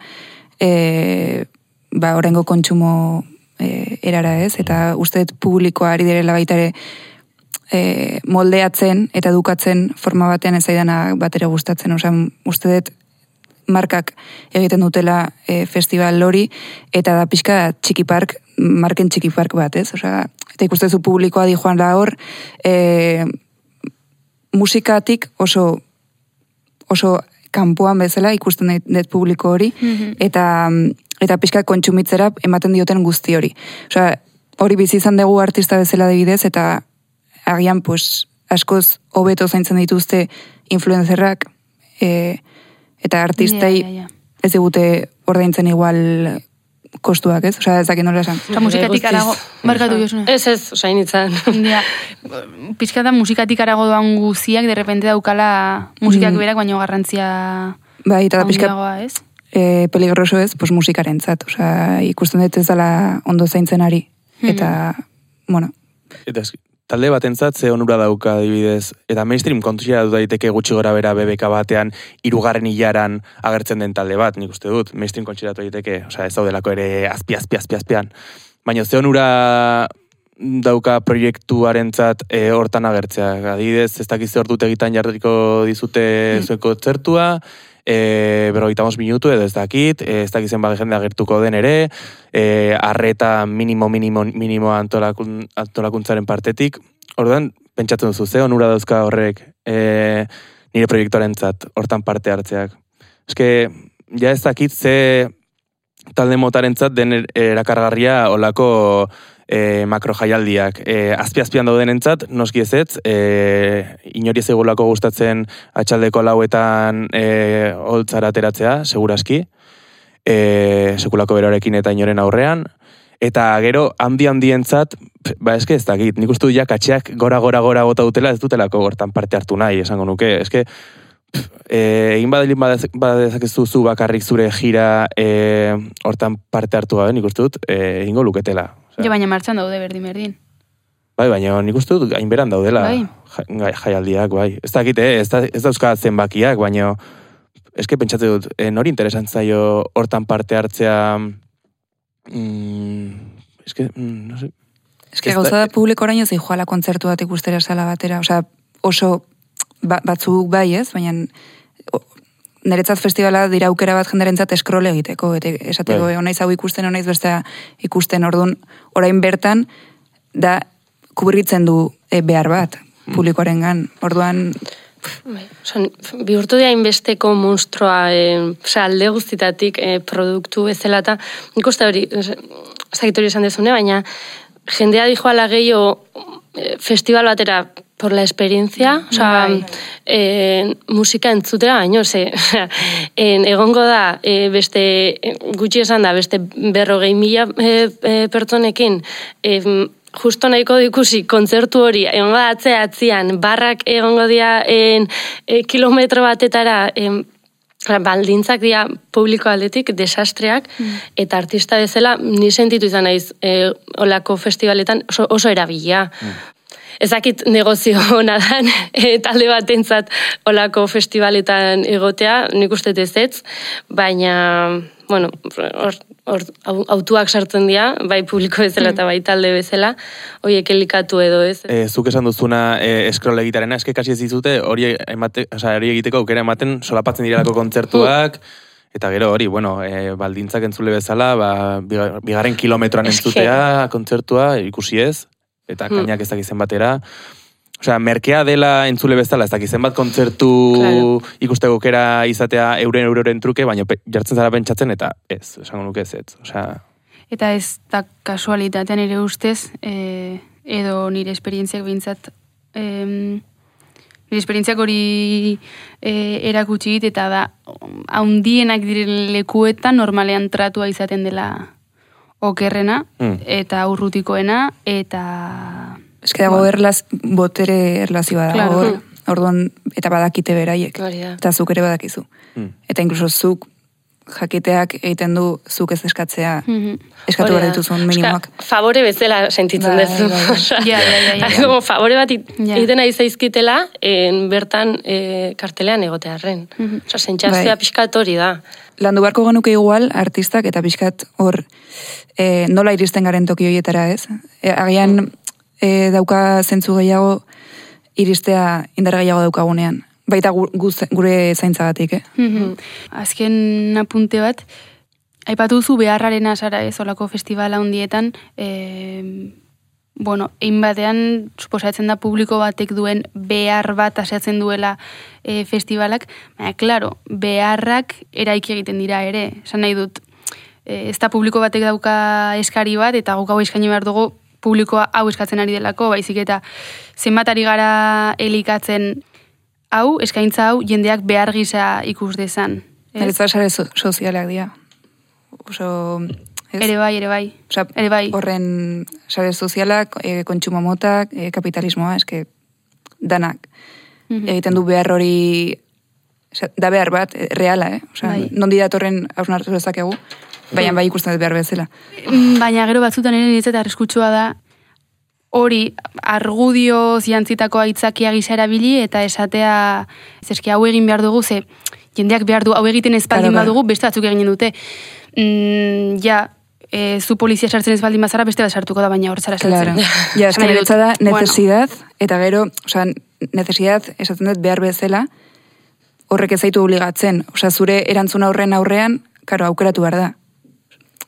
orengo kontsumo erara ez, eta usteet publikoa ari direla baita ere moldeatzen eta edukatzen forma batean ez zaidana batera gustatzen, usteet markak egiten dutela festival hori, eta da pixka txikipark, marken txikipark bat, ez? Eta ikustezu publikoa di joan da hor, musikatik oso kanpoan bezala ikusten dut publiko hori, eta pixka kontsumitzera ematen dioten guzti hori. Hori bizi izan dugu artista bezala adibidez, eta agian, askoz hobeto zaintzen dituzte influencerrak, eta artistai ez digute ordaintzen igual kostuak, ez? Ez dakit nola esan. Musikatik arago, markatu josuna. Ez, osainitzan. Pizka da musikatik arago doan guziak, derrepente daukala musikak berak, baino garrantzia eta da pizka ez? Peligroso ez, musikaren zat. Ikusten dut ez dela ondo zaintzen ari. Eta, bueno. Eta talde batentzat ze onura dauka adibidez, eta mainstream kontusia du daiteke gutxi gora bera BBK batean 3. hilaran agertzen den talde bat, nik uste dut, mainstream kontsiratu daiteke, ez daudelako ere azpian. Baina ze onura dauka proiektuarentzat hortan agertzea. Adibidez, ez dakiz hor dut egitan jarriko dizute zuen kontzertua, 45 minutu edo ez dakit, ez dakizen bat jende agertuko den ere, arreta minimo antolakuntzaren partetik. Orduan, pentsatzen duzu, ze onura dauzka horrek nire proiektuarentzat hortan parte hartzeak. Eske, ja ez dakit ze talde motarentzat den erakargarria olako makro jaialdiak. Azpi-azpian daudenentzat, noski ezetz, inori ez egulako gustatzen atxaldeko lauetan holtzara ateratzea, seguraski, sekulako beroarekin eta inoren aurrean, eta gero handientzat, eske ez dakit, nik uste du ja katxeak gora bota dutela ez dutelako gortan parte hartu nahi, esango nuke, eske egin badezakezu zu bakarrik zure gira hortan parte hartu gabe, nik uste dut, egingo luketela. Baina martxan daude berdin. Baina nik uste dut hainberan daudela jaialdiak, Ez dakit, ez dauzka zenbakiak, baina eske pentsatzen dut, nori interesan zaio hortan parte hartzea, no sé. Eske gauza da publiko oraino zei joala kontzertu bat ikustera sala batera, oso batzuk bai ez, baina niretzat festivala dira aukera bat jenderentzat eskrole egiteko, esateko onaiz hau ikusten, onaiz bestea ikusten, orduan orain bertan da kubritzen du behar bat publikoarengan, orduan bihurtu da inbesteko monstroa alde guztitatik produktu bezala eta nik uste hori zagitori esan dezune, baina jendea dijoala gehiago festival batera por la experiencia, musika entzutera baino, egongo da, beste gutxi esan da, beste 40,000 pertsonekin, justo nahiko ikusi kontzertu hori, egongo da atzean, barrak egongo dira kilometro batetara, baldintzak dira publiko aldetik, desastreak, eta artista bezala, ni sentitu izan naiz olako festivaletan oso erabilia. Ezakit negozio hona dan, talde batentzat olako festivaletan egotea, nik uste ez, baina, bueno, autuak sartzen dira, bai publiko bezala eta bai talde bezala, horiek elikatu edo ez. Zuk esan duzuna eskrol egitarena, eske kasi ez dizute hori egiteko aukera ematen solapatzen direlako kontzertuak, eta gero hori, baldintzak entzule bezala, bigarren kilometroan entzutea kontzertua ikusi ez, eta kainak ez dakizen batera. Merkea dela entzule bezala, ez dakizen bat kontzertu ikusteko aukera izatea euren truke, baina jartzen zara pentsatzen, eta ez, esango nuke ez. Eta ez da kasualitatean ere ustez, edo nire esperientziak behintzat, nire esperientziak hori erakutsi dit, eta da, haundienak diren lekuetan normalean tratua izaten dela okerrena, eta urrutikoena, eta... Eske dago botere erlazioa dago, orduan, eta badakite beraiek, eta zuk ere badakizu. Eta inkluso zuk jakiteak egiten du zuk ez eskatzea, eskatu behar dituzun minimoak. Favore bezala sentitzen duzu. Como favore bat egiten ari zaizkitela, bertan kartelean egotearren. Sentsazioa pixkat hori da. Landu beharko genuke igual, artistak eta pixkat hor nola iristen garen toki horietara, ez? Agian dauka zentzu gehiago iristea indar gehiago daukagunean. Baita gure zaintzagatik, Azken apunte bat, aipatu duzu beharraren azara ez olako festivala hundietan, egin batean, suposatzen da publiko batek duen behar bat aseatzen duela festivalak, baina, klaro, beharrak eraiki egiten dira ere, esan nahi dut, ez da publiko batek dauka eskari bat, eta guk hau eskaini behar dugu publikoa hau eskatzen ari delako, baizik eta zenbat ari gara elikatzen hau, eskaintza hau, jendeak behar gisa ikus dezan. Niretzat sare sozialak dira. Ere bai. Horren sare sozialak, kontsumo motak, kapitalismoa, eske danak. Egiten du behar hori, da behar bat, reala, nondi datorren hausnartu dezakegu, baina bai ikusten dut behar bezala. Baina gero batzutan ere niretzat arriskutsua da, hori argudio ziantzitako aitzakia gisa erabili eta esatea eske hau egin behar dugu, ze jendeak behar du, hau egiten espaldin badugu, beste batzuk eginen dute. Zu polizia sartzen espaldin bazara, beste bat sartuko da, baina hor zara sartzen. Ja, eske niretzat da, necesidad, eta gero, necesidad, esaten dut behar bezala, horrek ez zaitu obligatzen. Zure erantzuna aurrean, karo, aukeratu behar da.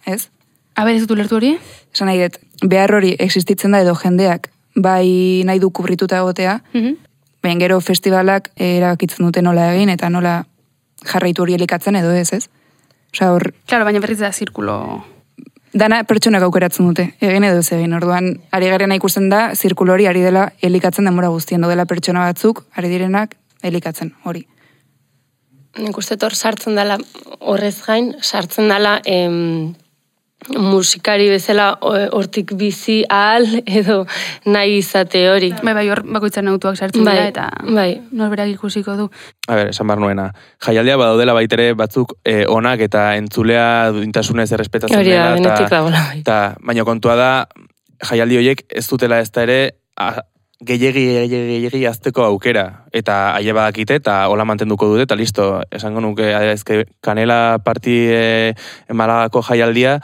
Ez? Ez dut ulertu hori? Esan nahi dut, behar hori existitzen da edo jendeak bai nahi du kubrituta egotea, baina gero festivalak erabakitzen dute nola egin eta nola jarraitu hori elikatzen edo ez. Claro, baina berriz da zirkulo. Dana pertsonak aukeratzen dute, egin edo ez egin. Orduan, ari garena ikusten da, zirkulo hori ari dela elikatzen denbora guztien dela pertsona batzuk, ari direnak elikatzen hori. Nik uste hor sartzen dela, horrez gain, sartzen dela musikari bezala hortik bizi ahal edo nahi izate hori. Bai, hor bakoitzaren autuak sartzen dira eta norberak ikusiko du. Esan behar nuena. Jaialdia badaudela baitere batzuk onak eta entzulea duintasunez errespetatzen dela. Eta baina kontua da, jaialdi horiek ez dutela ez da ere gehiegi azteko aukera. Eta aile badakite eta hola mantenduko dute eta listo. Esango nuke, Kanela parti Malagako jaialdia,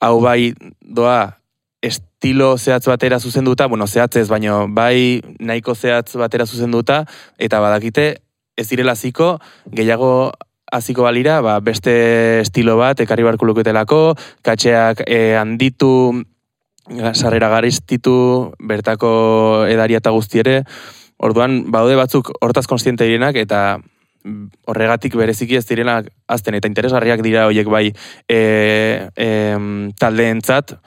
hau bai doa estilo zehatz batera zuzenduta, zehatzez, baino bai nahiko zehatz batera zuzenduta, eta badakite ez direla hasiko, gehiago hasiko balira, beste estilo bat, ekarri barko luketelako, katxeak handitu, sarrera gariztitu, bertako edaria eta guzti ere, orduan, badaude batzuk hortaz konstiente direnak, eta horregatik bereziki ez direnak azten, eta interesgarriak dira horiek bai taldeentzat,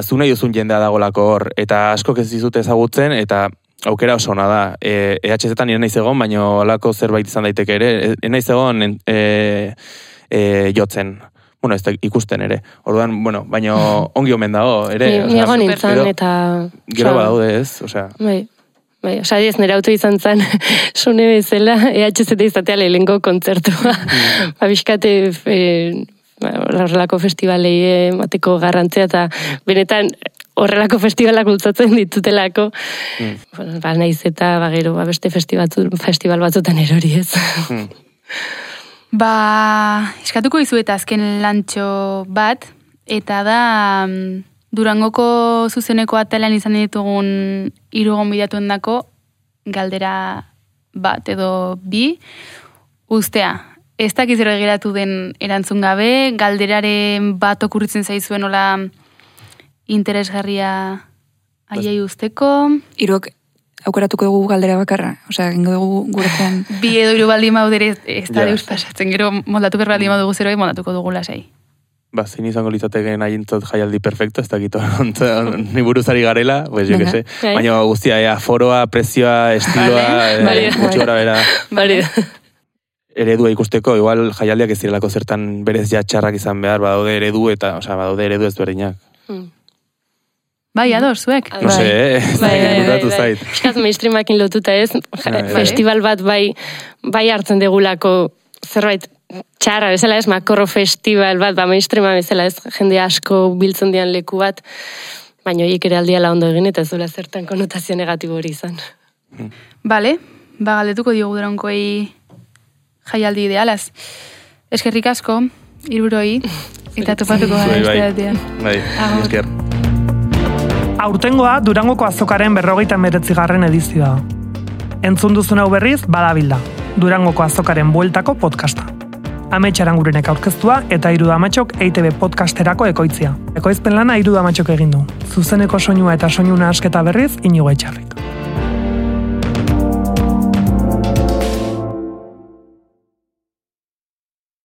zu nahi duzun jendea dagolako hor, eta askok ez dizut ezagutzen, eta aukera oso ona da. EHZ-etan nire naiz egon, baina holako zerbait izan daiteke ere, naiz egon jotzen. Ez da ikusten ere. Orduan, baina ongi omen dago, ere. Niago nintzen, eta... Gero badaude ez, Bai, ez nire auto izan zen, sune bezala, EHZ izatea lehenko kontzertua. Biskate horrelako festivalei mateko garrantzia, eta benetan horrelako festivalak bultzatzen ditutelako. Naiz eta gero beste festival batzutan erori ez. Eskatuko izuet azken lantxo bat, eta da Durangoko zuzeneko atalean izan ditugun 3 gonbidatuen dako galdera bat edo bi ustea. Ez dakiz ero egiratu den erantzun gabe, galderaren bat okurritzen zaizuen hola interesgarria aiei usteko. 3 aukeratuko dugu galdera bakarra, egingo dugu guretzen. 2 edo 3 baldin maudere ez da deus pasatzen, gero moldatu berra baldin maudugu zeroi, moldatuko dugu lasai. Zin izango litzateken haintzot jaialdi perfecto, ez dakito, ni buruzari garela, jo que se. Baina guztia, foroa, prezioa, estiloa, gutxi gora bera. Eredua ikusteko, igual jaialdiak ez direlako zertan berez txarrak izan behar, badaude eredu eta, badaude eredu ezberdinak. Bai, ados, zuek. No sé, gustatu zait. Eskaz mainstreamakin lotuta ez, festival bat bai hartzen degulako zerbait txarra bezala ez, makorro festival bat, mainstreama bezala ez, jende asko biltzen dian leku bat, baina horiek ere aldiala ondo egin eta ez duela zertan konotazio negatibo hori izan. Bale, galdetuko diogu Durangoei jaialdi idealaz. Eskerrik asko, hiruroi, eta topatuko gara beste batean. Bai, esker. Aurtengoa Durangoko azokaren 59. edizioa. Entzun duzun hau berriz, badabilda. Durangoko azokaren bueltako podcasta. Amets Arangurenek aurkeztua eta Iruda Amatxok EITB podcasterako ekoitzia. Ekoizpen lana Iruda Amatxok egin du. Zuzeneko soinua eta soinu nahasketa berriz Inigo Etxarrik.